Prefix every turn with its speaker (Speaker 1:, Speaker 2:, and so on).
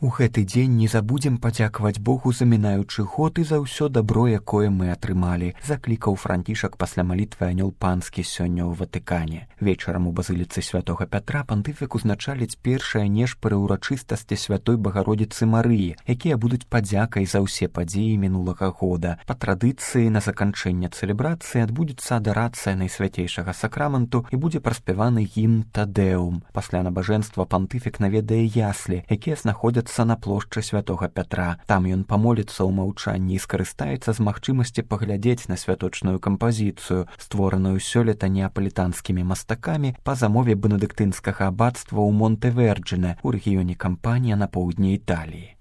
Speaker 1: У гэты дзень не забудзем падзякаваць Богу за мінаючы год і за ўсё дабро, якое мы атрымалі, заклікаў Францішак пасля малітвы анёл панскі сёння ў Ватыкане. Вечарам у базыліцы святога Пятра пантыфік узначаліць першыя нешпары ўрачыстасці святой Багародзіцы Марыі, якія будуць падзякай за ўсе падзеі мінулага года. Па традыцыі на заканчэнне цэлебрацыі адбудзецца адарацыя найсвяцейшага сакраменту і будзе праспяваны гімн Тадэум. Пасля набажэнства пантыфік наведае яслі, якія знаходзяцца на плошчы святога Пятра. Там ён памоліцца ў маўчанні і скарыстаецца з магчымасці паглядзець на святочную кампазіцыю, створаную сёлета неапалітанскімі мастакамі па замове бенедыктынскага абацтва ў Монтэверджине ў рэгіёне Кампанія на поўдні Італіі.